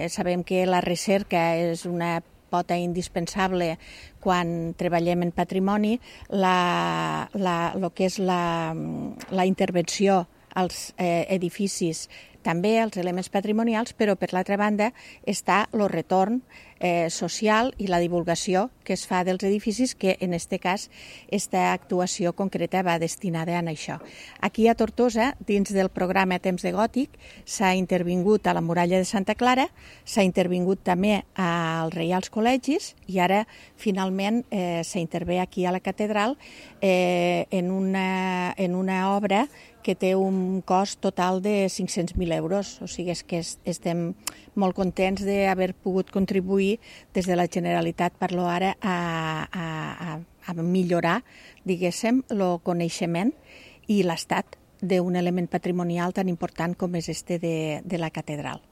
Sabem que la recerca és una pota indispensable quan treballem en patrimoni, el que és la intervenció als edificis, també als elements patrimonials, però per l'altra banda està el retorn social i la divulgació que es fa dels edificis, que en aquest cas aquesta actuació concreta va destinada a això. Aquí a Tortosa, dins del programa Temps de Gòtic, s'ha intervingut a la muralla de Santa Clara, s'ha intervingut també als Reials Col·legis i ara finalment s'intervé aquí a la catedral en una obra que té un cost total de 500.000 euros. O sigui, és que estem molt contents d'haver pogut contribuir des de la Generalitat, parlo ara, a millorar, diguéssim, el coneixement i l'estat d'un element patrimonial tan important com és este de la catedral.